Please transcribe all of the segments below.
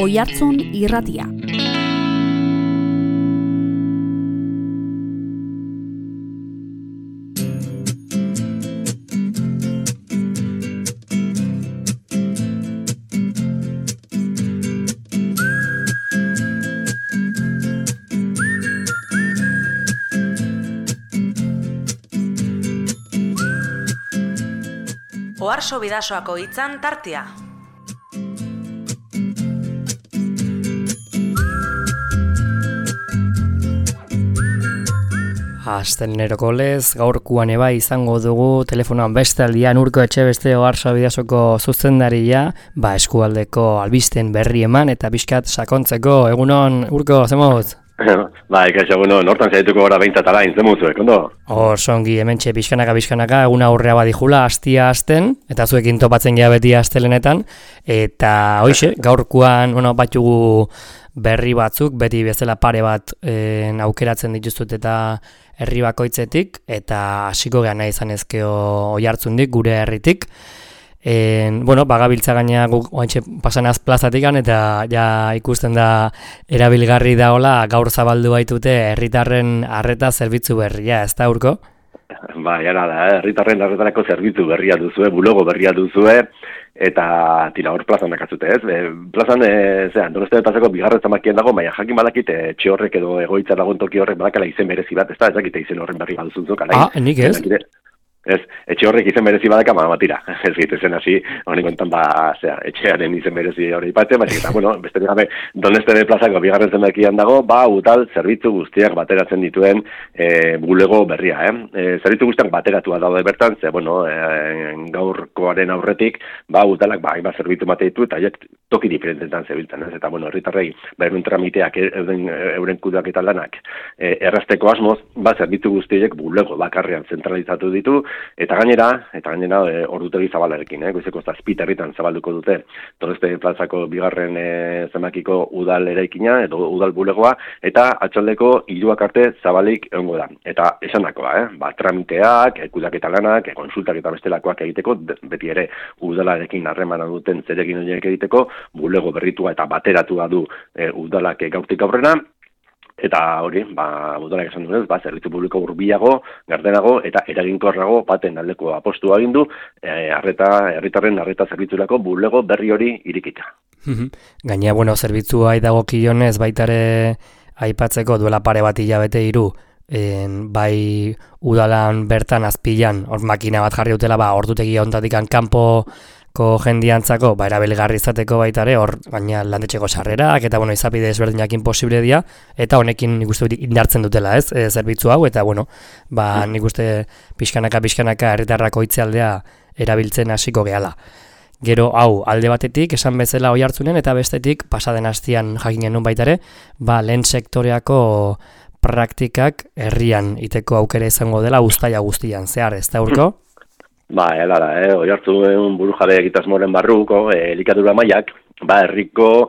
Oihartzun Irratia. Oharso Bidasoako hitzan tartea. Asteleheneroko lez, gaurkoan eba izango dugu telefonoan beste aldian Urko Etxebeste Oharso Bidasoko zuzendaria, eskualdeko albisten berri eman eta pixkat sakontzeko. Egunon, Urko, zemot? Ikaixo, hortan zaituko gara behintzat alain, zemuzuek, ondo? Songi, hementxe pixkanaka, eguna aurrea badijula, hastia hasten, eta zuekin topatzen geha beti astelenetan, eta hoxe, gaurkoan, batugu berri batzuk, beti bezala pare bat aukeratzen dituzut eta herri bakoitzetik, eta hasiko geha nahi izan ezkeo Oihartzundik, gure herritik. Bagabiltza gaina oantxe pasanaz plazatikan eta ja ikusten da erabilgarri daola gaur zabaldu baitute herritarren arreta zerbitzu berria, ez da, Urko? Jara da, herritarren arretarako zerbitzu berria duzue, bulogo berria duzue, eta tira hor plazan dakatzute, ez? Plazan, Donostia plazako bigarren zamakien dago, baina jakin badakit etxe horrek edo egoitza lagun toki horrek badakala izen berezi bat, ez da, ezakite izen horren berri baduzunzok, alain. Nik ez? Ez, etxe horrek izen berezi badaka, tira, ez gitezen hasi, honik kontan etxearen izen berezi hori ipatzen, eta, besterik gabe, Donostia plazako bigarren zenbakian dago, udal zerbitzu guztiak bateratzen dituen bulego berria, zerbitzu guztiak bateratua daude bertan, gaurkoaren aurretik, udalak, hainbat zerbitzu mate ditu, eta toki diferentetan zebiltzen, ez, eta, herritarrei, euren tramiteak, euren kudeak eta lanak, errazteko asmoz, zerbitzu guztiek bulego bakarrean zentralizatu ditu, eta gainera ordutegi zabalarekin, goizeko zazpiterritan zabalduko dute Donostia plazako bigarren zenbakiko udal eraikina edo udal bulegoa, eta atxaldeko 3 arte zabalik egongo da. Eta esandakoa, tramiteak, kudeaketa lanak, konsultak eta bestelakoak egiteko, beti ere udalarekin harremana duten zeregin horiek egiteko, bulego berritua eta bateratua du udalak gaurtik aurrera. Eta hori, udalak esan duenez, zerbitzu publiko hurbilago, gardenago eta eraginkorrago baten aldeko apostua egin du, herritarren arreta zerbitzurako bulego berri hori irikita. Gaina, zerbitzua dagokionez baitare aipatzeko duela pare bat hilabete 3, bai udalan bertan azpilan, makina bat jarri dutela, ordutegi honetatik kanpo jendiantzako, erabilgarri izateko baitare, hor gaina landetxeko sarrerak, eta izapide ezberdinak imposible dira, eta honekin nik uste indartzen dutela, ez, zerbitzu hau, eta nik uste pixkanaka herritarrako itzealdea erabiltzen hasiko gehala. Gero, hau, alde batetik, esan bezala Oihartzunen, eta bestetik, pasaden hastian jakinen nun baitare, lehen sektoreako praktikak herrian iteko aukera izango dela uztaila guztian, zehar, ez da, Urko? Oihartzun burujabe egitasmoren barruko elikadura mailak, herriko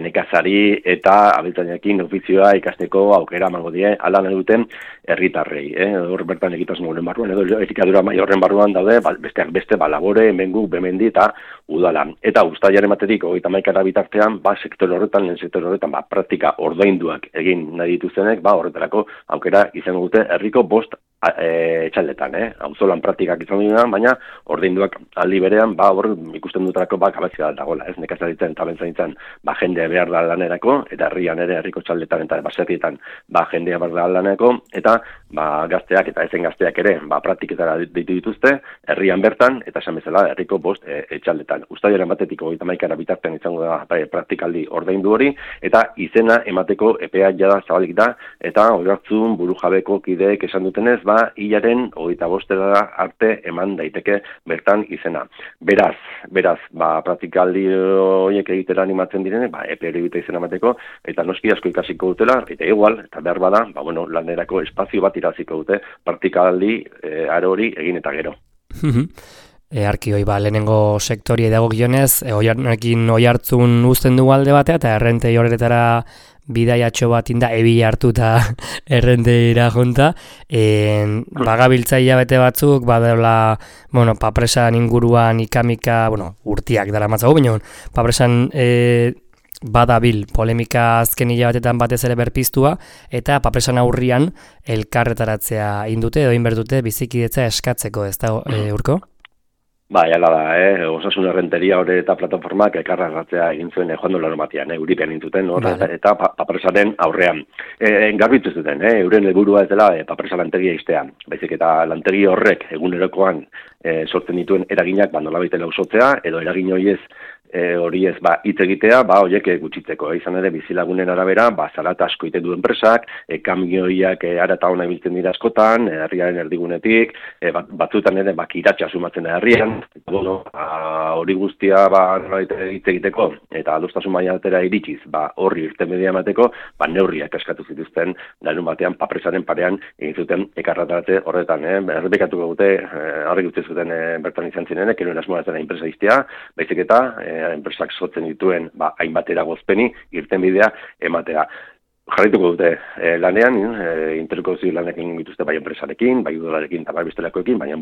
nekazari eta abeltzainekin ofizioa ikasteko aukera emango die hala nahi duten herritarrei. Hor bertan egitasmoren barruan, edo elikadura maila horren barruan daude, besteak beste, labore, hemengu, bemendi eta udala. Eta uztailaren batetik 31 bitartean, sektore horretan, lehen sektore horretan, praktika ordainduak egin nahi dituztenek, horretarako aukera izango dute herriko 5 etxaldetan, auzolan praktikak izan duenan, baina ordainduak aldi berean, hor ikusten dutarako kapazitatea dagoela, ez, nekazaritzen eta abeltzaintzan jendea behar da lanerako, eta herrian ere herriko txaldetan eta baserrietan jendea behar da lanerako, eta gazteak eta ezen gazteak ere praktiketara ditu dituzte, herrian bertan, eta esan bezala herriko 5 etxaldetan. Uztailaren batetik 31 bitartean izango da praktikaldi ordaindu hori, eta izena emateko epea jada zabalik da, eta Oihartzun burujabeko kideek esan dutenez, hilaren 25 arte eman daiteke bertan izena. Beraz, praktikaldi horiek egitera animatzen direne, epe hori bita izena emateko, eta noski asko ikasiko dutela, eta igual, eta behar bada, lanerako espazio bat iraziko dute, praktikaldi aro hori egin eta gero. Arkioi, lehenengo sektoria dagokionez, Oihartzun uzten dugu alde batea, eta errentei horretara bidaiatxo bat inda ebila hartu eta errenteira junta. Bagabiltzaia bete batzuk, badela, papresan inguruan ikamika, urtiak dara matzago, baina papresan badabil polemika azken hilabetetan batez ere berpiztua, eta papresan aurrian elkarretaratzea indute edo inbertute bizikidetza eskatzeko, ez da, Urko? Bai, ala da, Osasun Errenteria hori eta plataformak elkarreratzea egin zuen joan dola normatian, Euripean intuten, eta papresaren aurrean. Garbitu zuten, euren helburua ez dela papresa lantegia iztea. Baizik eta lantegi horrek egunerokoan sortzen dituen eraginak nolabait lausotzea, edo eragin horiez hori ez hitz egitea, horiek gutxitzeko. Izan ere, bizilagunen arabera, zarata asko iten du enpresak, kamioiak ara eta ona ibiltzen dira askotan, herriaren erdigunetik, batzuetan ere kiratxa sumatzen da herrian, hori guztia hitz egiteko, eta adostasun mailatera iritsiz, horri irtenbidea emateko, neurriak eskatu zituzten, larun batean, papresaren parean, egin zuten ekarrataratze horretan. Errepikatuko dute, horrek utzi zuten bertan izan zirenek, eruen asmoa zena enpresa iztea, baizik eta enpresak sortzen dituen hainbat eragozpeni irtenbidea ematea. Jarraituko dute lanean, interlokuzio lanak egin dituzte bai enpresarekin, bai udalarekin eta bai bestelakoekin, baina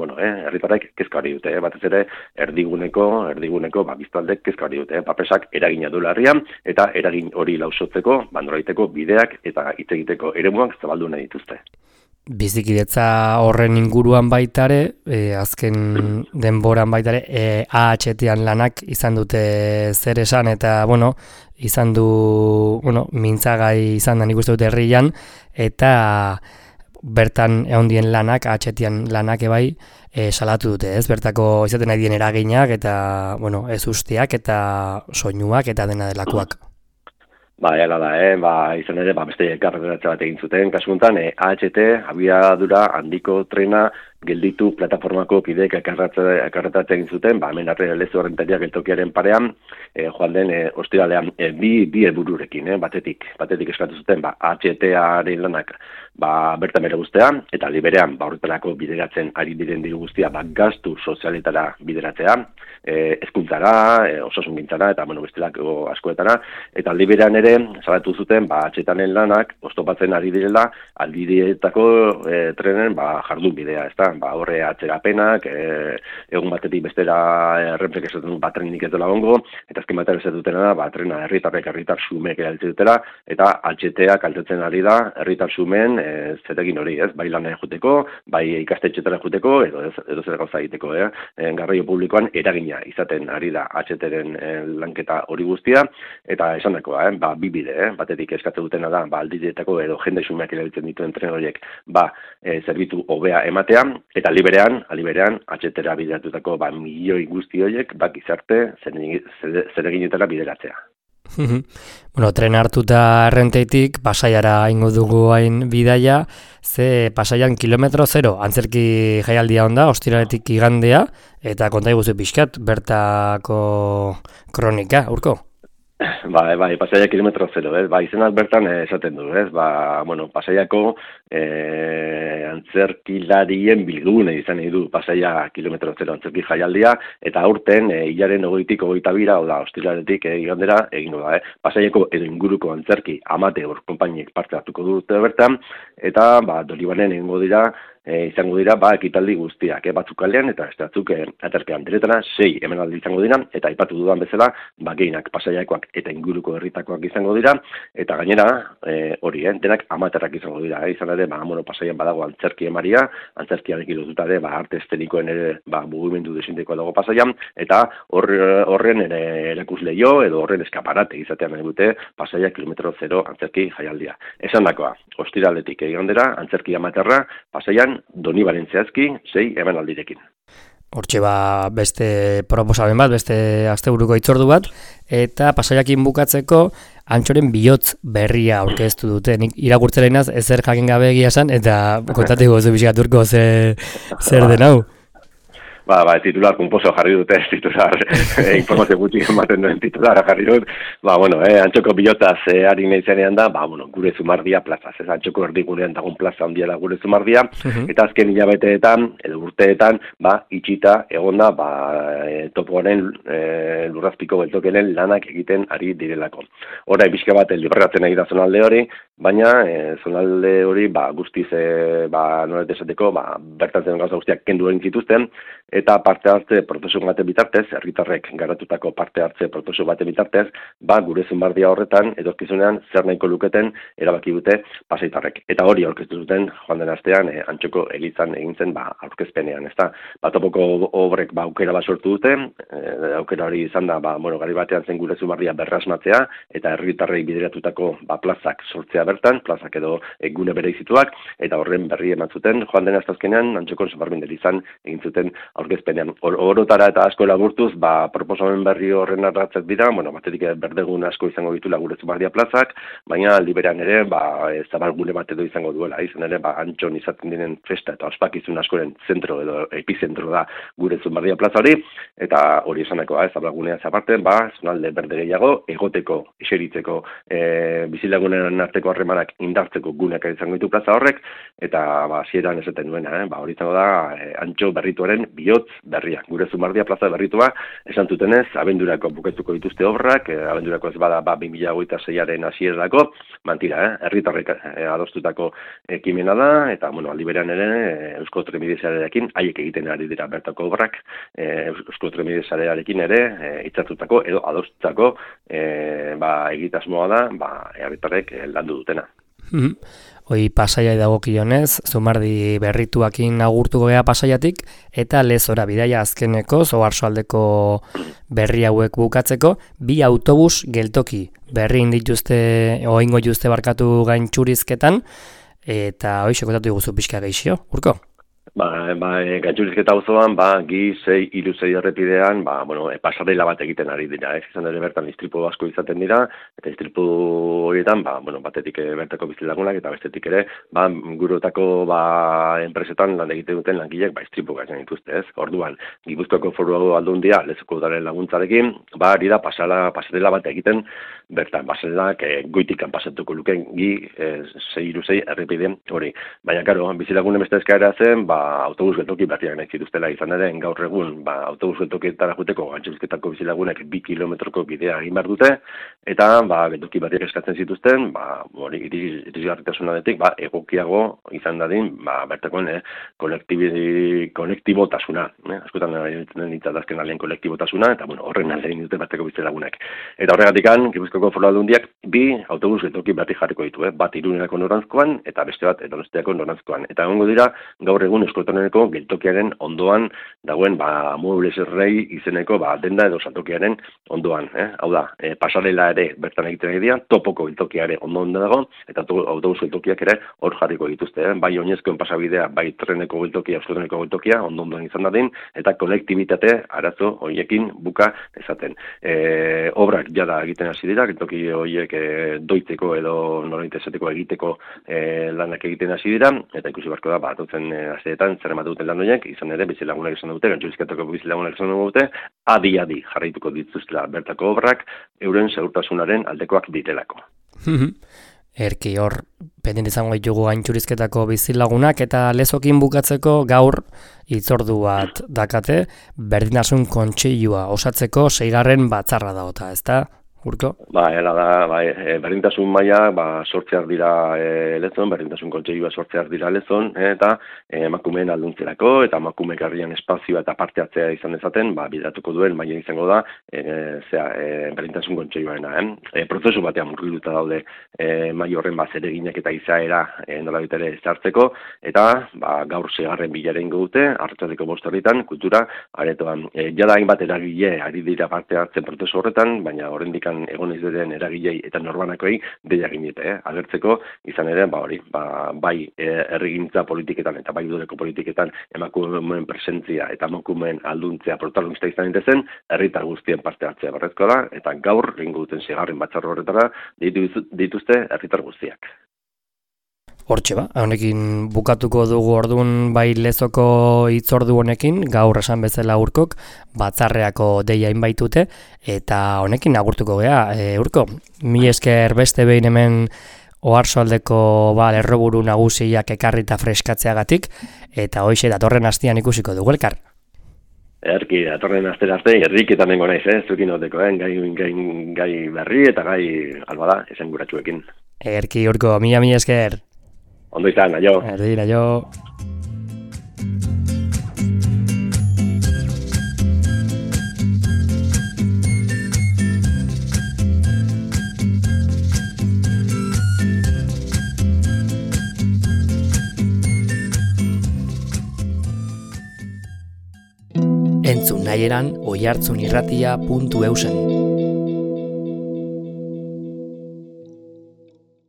herritarrek kezka hori dute, batez ere erdiguneko biztaldek kezka hori dute, papresak eragina duela herrian eta eragin hori lausotzeko, nolabaiteko bideak eta hitz egiteko eremuak zabaldu nahi dituzte. Bizikidetza horren inguruan baitare, azken denboran baitare, AHT-an lanak izan dute zer esan, eta, izan du, mintzagai izan da nik uste dute herrian, eta bertan ehondien lanak, AHT-an lanak ebai, salatu dute, ez? Bertako izaten nahi dien eraginak, eta, ez usteak, eta soinuak, eta dena delakoak. Hala da, izan ere, beste elkarretaratze bat egin zuten, kasu honetan, AHT, abiadura handiko trena, gelditu plataformako kideek elkarretaratze egin zuten, hemen Lezo Errenteria geltokiaren parean, joan den ostiralean bi helbururekin, batetik eskatu zuten, AHT-aren lanak bertan bere guztea, eta liberean, horretarako bideratzen ari diren diru guztia, gastu sozialetara bideratzea, hezkuntzara, osasungintzara, eta bestelako askoetara, eta liberean ere, salatu zuten, AHT-aren lanak, oztopatzen ari direla, aldiretako trenen jardun bidea, ezta? Horre atzerapenak, egun batetik bestera errenpek esaten trenik ez dela ongo, eta azken batera ez dutena da, trena herritar sumek erabiltzen dutela, eta AHT-a kaltetzen ari da, herritar sumen zeregin hori, ez? Bai lanera juteko, bai ikastetxetara juteko, edo zer gauza egiteko, garraio publikoan eragina izaten ari da AHT-ren lanketa hori guztia, eta esan dakoa, bi bide, batetik eskatzen dutena da, aldiretako edo jende sumeak erabiltzen dituen tren horiek, zerbitu hobea ematea, eta liberean AHT-era bideratutako milioi guzti horiek gizarte zereginetara bideratzea. Tren hartuta Errenteitik Pasaiara ingo dugu hain bidaia, ze Pasaian kilometro zero, antzerki jaialdia onda, ostiraletik igandea, eta konta iguzu pixkat, bertako kronika, Urko? Bai, Pasaia kilometro zero, izenak bertan esaten du, Pasaiako antzerkilarien bilgune izan nahi du Pasaia kilometro zero antzerki jaialdia, eta aurten hilaren 20-tik 22, ostiraletik igandera egingo da, Pasaiako edo inguruko antzerki amateur konpainiek parte hartuko dute bertan, eta Dolibanen egingo dira, izango dira ekitaldi guztiak, batzuk kalean eta batzuk aterpean diretana 6 emanaldi izango dira, eta aipatu dudan bezala gehienak Pasaiakoak eta inguruko herritakoak izango dira, eta gainera hori, denak amaterrak izango dira, izan ere Pasaian badago antzerki emaria, antzerkiarekin lotuta ere arte eszenikoen ere mugimendu desinteko dago Pasaian, eta horren ere erakusleio edo horren eskaparate izatean nahi dute Pasaia kilometro zero antzerki jaialdia. Esan dakoa, ostiraletik igandera antzerki amaterra Pasaian Donibaren zehazki 6 emanaldirekin. Hortxe beste proposamen bat, beste asteburuko hitzordu bat, eta Pasaiakin bukatzeko Antxoren bihotz berria aurkeztu dute. Nik irakurtzera inaz ezer jakin gabe egia esan, eta kontateko oso bizikaturko zer den hau. Titular kumposo jarri dute, titular informazio gutxi ematen duen titulara jarri dut. Antxoko bihotzaz ari nahi zenean da, gure Zumardia plazaz. Antxoko erdigunean dagoen plaza handia da gure Zumardia, eta azken hilabeteetan, edo urteetan, itxita egonda topoaren lurrazpiko beltokenen lanak egiten ari direlako. Hora, bizka bat libratzen nahi da zonalde hori, baina zonalde hori guztiz nolet esateko, bertan zen gauza guztiak kendu egin zituzten, eta parte hartze prozesu baten bitartez, herritarrek garatutako parte hartze prozesu baten bitartez, gure Zumardia horretan, etorkizunean zer nahiko luketen erabaki dute pasaitarrek. Eta hori aurkeztu zuten joan den astean Antxoko elizan egin zen aurkezpenean, ezta? Topoko obrek aukera bat sortu dute, aukera hori izan da, gari batean zen gure Zumardia berrasmatzea, eta herritarrei bideratutako plazak sortzea bertan, plazak edo gune bereizituak, eta horren berri eman zuten, joan den astazkenean, Antxokon Zumarbinden elizan egin zuten aurkezpenean. Orotara eta asko laburtuz, proposamen berri horren arratzak dira, batetik berdegun asko izango ditula gure Zumardia plazak, baina aldi berean ere, zabalgune bat edo izango duela, izan ere, Antxon izaten diren festa eta ospakizun askoren zentro edo epizentro da gure Zumardia plaza hori, eta hori esaneko, zabalgunea zaparte, zonalde berde gehiago, egoteko, eseritzeko, bizilagunen arteko harremanak indartzeko guneak izango ditu plaza horrek, eta hasieran esaten duena, hori izango da Antxo berrituaren bihotz berria. Gure Zumardia plaza berritua, esan zutenez, abendurako buketuko dituzte obrak, abendurako ez bada 2026aren hasierarako, mantira, herritarrek adostutako ekimena da, eta aldi berean ere Eusko Trenbide Sarearekin haiek egiten ari dira bertako obrak, Eusko Trenbide Sarearekin ere hitzartutako edo adostutako egitasmoa da, herritarrek landu dutena. Hoi Pasaiai dagokionez, Zumardi berrituakin agurtuko gea Pasaiatik, eta Lezora bidaia azkeneko, Oarsoaldeko berri hauek bukatzeko, 2 autobus geltoki berri indituzte, oingo jutuzte barkatu gaintxurizketan, eta hoi sekotatu diguzu pixka geixio, Urko? Gaintxurizketa auzoan, Gi 636 errepidean, pasarela bat egiten ari dira, izan ere bertan istripu asko izaten dira, eta istripu horietan, batetik bertako bizilagunak, eta bestetik ere, gurutako enpresetan lan egiten duten langileek, istripu gaitzen dituzte, ez? Orduan, Gipuzkoako Foru Aldundia, Lezoko udaren laguntzarekin, ari da pasarela bat egiten, bertan, pasarelak goitikan pasatuko luken Gi 636 errepide hori. Baina, karo, bizilagunen beste eskaera zen, autobus geltoki berriak nahi zituztela izan ere, gaur egun, autobus geltokietara juteko Gaintxurizketako bizilagunek 2 kilometroko bidea egin behar dute, eta geltoki berriak eskatzen zituzten, irisgarritasunatik, egokiago izan dadin, bertakoen kolektibotasuna, askotan nintzatazken alien kolektibotasuna, eta horren aldein dute bertako bizilagunek. Eta horregatikan, Gipuzkoako Foru Aldundiak 2 autobus geltoki berri jarriko ditu, bat Iruñerako noranzkoan, eta beste bat Donostiako noranzkoan. Eta egongo dira, gaur egun Euskotoneko geltokiaren ondoan dagoen Muebles Rei izeneko denda edo saltokiaren ondoan. Hau da, pasarela ere bertan egiten egitea, topoko geltokiare ondoan dago, eta autobus geltokiak ere hor jarriko dituzte. Bai oinezkoen pasabidea, bai treneko geltokia, Euskotoneko geltokia, ondoan izan dadin, eta kolektibitate arazo horiekin buka ezaten. Obrak jada egiten hasi dira, geltoki horiek doitzeko edo norainte esateko egiteko lanak egiten hasi dira, eta ikusi barko da, atutzen asteetan zer emate duten lan horiek, izan ere bizilagunak izan dute, Gaintxurizketako bizilagunak izan dute, adi jarraituko dituztela bertako obrak, euren segurtasunaren aldekoak ditelako. Erki hor, pendent izango ditugu Gaintxurizketako bizilagunak, eta Lezokin bukatzeko gaur hitzordu bat dakate, berdintasun kontseilua osatzeko 6. batzarra daota, ezta? Urko? Berdintasun maila sortzeak dira Lezon, berdintasun kontseilua sortzeak dira Lezon, eta emakumeen alduntzerako, eta emakume garrian espazioa eta parte hartzea izan dezaten, bideratuko duen maila izango da, berdintasun kontseiluarena. Prozesu batean murgilduta daude maila horren zereginak eta izaera nola bitere zartzeko, eta gaur 6. bilera ingo dute, arratsaldeko 5 kultura aretoan. Jada hainbat eragile ari dira parte hartzen prozesu horretan, baina oraindik egon ez den eragilei eta norbanakoi deia ginete, agertzeko izan ere, bai herrigintza politiketan eta bai udaleko politiketan emakumeen presentzia eta emakumeen alduntzea protagonista izan zen, herritar guztien parte hartzea berrezkoa da, eta gaur egingo duten 6. batzar horretara dituzte herritar guztiak. Hortxe honekin bukatuko dugu orduan bai Lezoko hitzordu honekin, gaur esan bezala Urkok, batzarreako deia inbaitute, eta honekin agurtuko gea. Urko, mi esker beste behin hemen Oarsoaldeko lerroburu nagusiak ekarrita freskatzeagatik, eta hoixe datorren astean ikusiko dugu elkar. Erki, datorren astera arte, herriketan nengo naiz, zuekin oteko, gai berri eta gai albada, esan guratxuekin. Erki, Urko, mi esker. Ondo izan, aio. Aio. Entzun nahi eran oihartzunirratia.eusen.